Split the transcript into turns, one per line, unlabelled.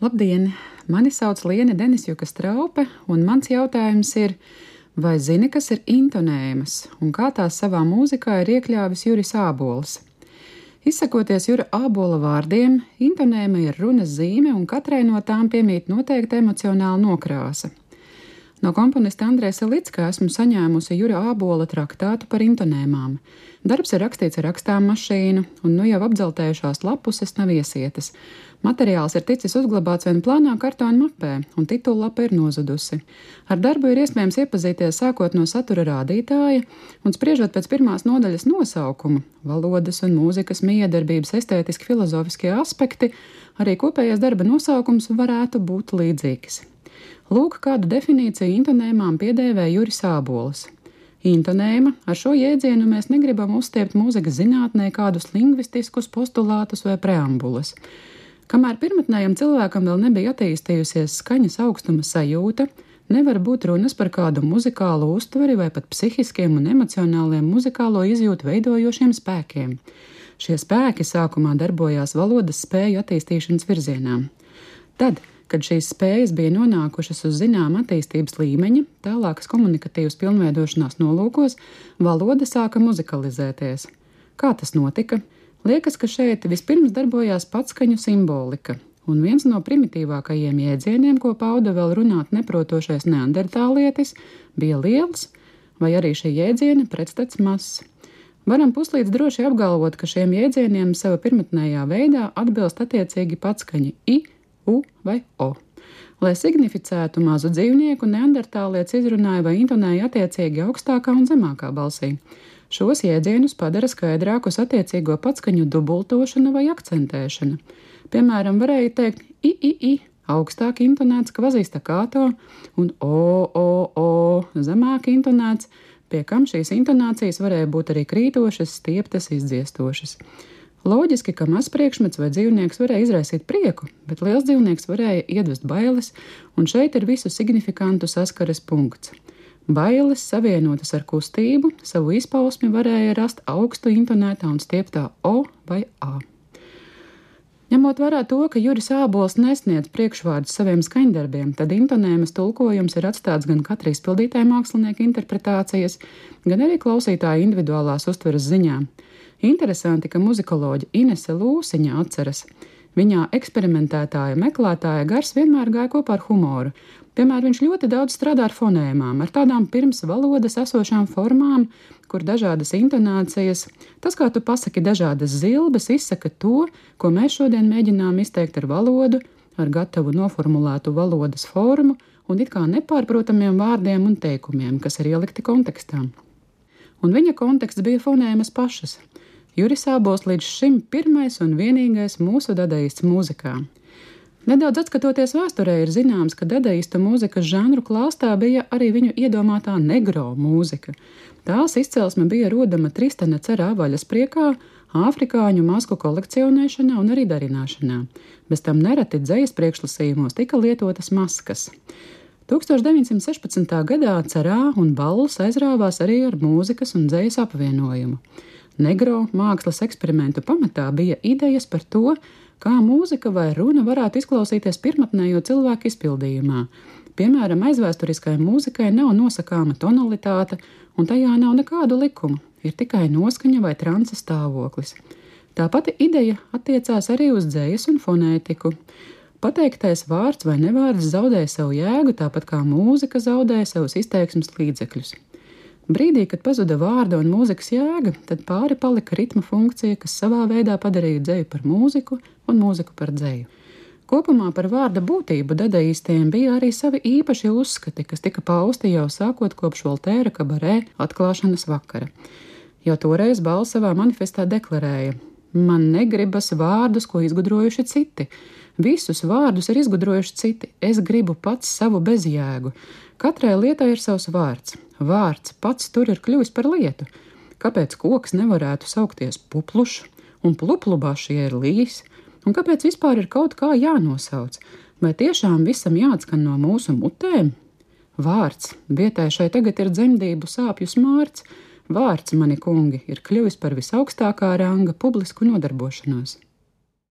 Labdien! Mani sauc Liene Denisjuka Straupe, un mans jautājums ir, vai zini, kas ir intonēmas un kā tās savā mūzikā ir iekļāvis Juris Ābols? Izsakoties Jura Ābola vārdiem, intonēma ir runas zīme, un katrai no tām piemīt noteikta emocionāla nokrāsa. No komponista Andrēsa Lickā esmu saņēmusi Jura Ābola traktātu par intonēmām. Darbs ir rakstīts ar rakstām mašīnu, un nu jau apdzeltējušās lapuses nav iesietas. Materiāls ir ticis uzglabāts vien plānā kartona mapē, un titullapa ir nozudusi. Ar darbu ir iespējams iepazīties sākot no satura rādītāja, un spriežot pēc pirmās nodaļas nosaukuma - valodas un mūzikas miedarbības estētiski filozofiskie aspekti, arī kopējais darba nosaukums varētu būt līdzīgs. Lūk, kādu definīciju intonēmām piedēvē Juris Ābols. Intonēma, ar šo jēdzienu mēs negribam uzstiept mūzikas zinātnē kādus lingvistiskus postulātus vai preambulas. Kamēr pirmotnējam cilvēkam vēl nebija attīstījusies skaņas augstuma sajūta, nevar būt runas par kādu muzikālu uztveri vai pat psihiskiem un emocionāliem muzikālo izjūtu veidojošiem spēkiem. Šie spēki sākumā darbojās valodas spēju attīstīšanas virzienā. Tad, kad šīs spējas bija nonākušas uz zināma attīstības līmeņa, tālākas komunikatīvas pilnveidošanās nolūkos, valoda sāka muzikalizēties. Kā tas notika? Liekas, ka šeit vispirms darbojās patskaņu simbolika, un viens no primitīvākajiem jēdzieniem, ko pauda vēl runāt neprotošais neandertālietis, bija liels, vai arī šī jēdziena pretstats mazs. Varam puslīdz droši apgalvot, ka šiem jēdzieniem sava pirmotnējā veidā atbilst attiecīgi patskaņi I, U vai O. Lai significētu mazu dzīvnieku, neandertālietis izrunāja vai intonēja attiecīgi augstākā un zemākā balsī. Šos jēdzienus padara skaidrākus attiecīgo patskaņu dubultošana vai akcentēšana. Piemēram, varēja teikt I, augstāk intonēts kvazīstakāto un O, zemāk intonēts, pie kam šīs intonācijas varēja būt arī krītošas, stieptas, izdziestošas. Loģiski, ka mazs priekšmets vai dzīvnieks varēja izraisīt prieku, bet liels dzīvnieks varēja iedvest bailes, un šeit ir visu signifikantu saskares punkts. Bailes savienotas ar kustību, savu izpausmi varēja rast augstu intonētā un stieptā O vai A. Ņemot vērā to, ka Juris Ābols nesniedz priekšvārdus saviem skaņdarbiem, tad intonēmas tulkojums ir atstāts gan katra izpildītāja mākslinieka interpretācijas, gan arī klausītāja individuālās uztveres ziņā. Interesanti, ka muzikoloģe Inese Lūsiņa atceras. Viņā eksperimentētāja meklētāja gars vienmēr gāja kopā ar humoru. Piemēram, viņš ļoti daudz strādā ar fonēmām, ar tādām pirms valodas esošām formām, kur dažādas intonācijas, tas, kā tu pasaki dažādas zilbes, izsaka to, ko mēs šodien mēģinām izteikt ar valodu, ar gatavu noformulētu valodas formu un it kā nepārprotamiem vārdiem un teikumiem, kas ir ielikti kontekstā. Un viņa konteksts bija fonēmas pašas. Juris Ābols līdz šim pirmais un vienīgais mūsu dadaists mūzikā. Nedaudz atskatoties vēsturē, ir zināms, ka dadaistu mūzikas žanru klāstā bija arī viņu iedomātā negro mūzika. Tās izcelsme bija rodama Tristana Cerā vaļaspriekā, āfrikāņu masku kolekcionēšanā un arī darināšanā. Bez tam nereti dzejas priekšlasījumos tika lietotas maskas. 1916. gadā Cerā un Balls aizrāvās arī ar mūzikas un dzejas apvienojumu. Negro mākslas eksperimentu pamatā bija idejas par to, kā mūzika vai runa varētu izklausīties pirmotnējo cilvēku izpildījumā. Piemēram, aizvēsturiskai mūzikai nav nosakāma tonalitāte, un tajā nav nekādu likumu, ir tikai noskaņa vai transa stāvoklis. Tā pati ideja attiecās arī uz dzejas un fonētiku. Pateiktais vārds vai nevārds zaudēja savu jēgu, tāpat kā mūzika zaudēja savus izteiksmes līdzekļus. Brīdī, kad pazuda vārda un mūzikas jēga, tad pāri palika ritma funkcija, kas savā veidā padarīja dzeju par mūziku un mūziku par dzeju. Kopumā par vārda būtību dadaistiem bija arī savi īpaši uzskati, kas tika pausti jau sākot kopš Voltēra kabarē atklāšanas vakara. Jau toreiz Balls savā manifestā deklarēja: man negribas vārdus, ko izgudrojuši citi. Visus vārdus ir izgudrojuši citi. Es gribu pats savu bezjēgu. Katrai lietai ir savs vārds. Vārds pats tur ir kļuvis par lietu. Kāpēc koks nevarētu saukties Puplušs un Pluplubašs, ja ir līs? Un kāpēc vispār ir kaut kā jānosauc? Vai tiešām visam jāatskan no mūsu mutēm? Vārds, vietai šai tagad ir dzemdību sāpju smārds. Vārds, mani kungi, ir kļuvis par visaugstākā ranga publisku nodarbošanos.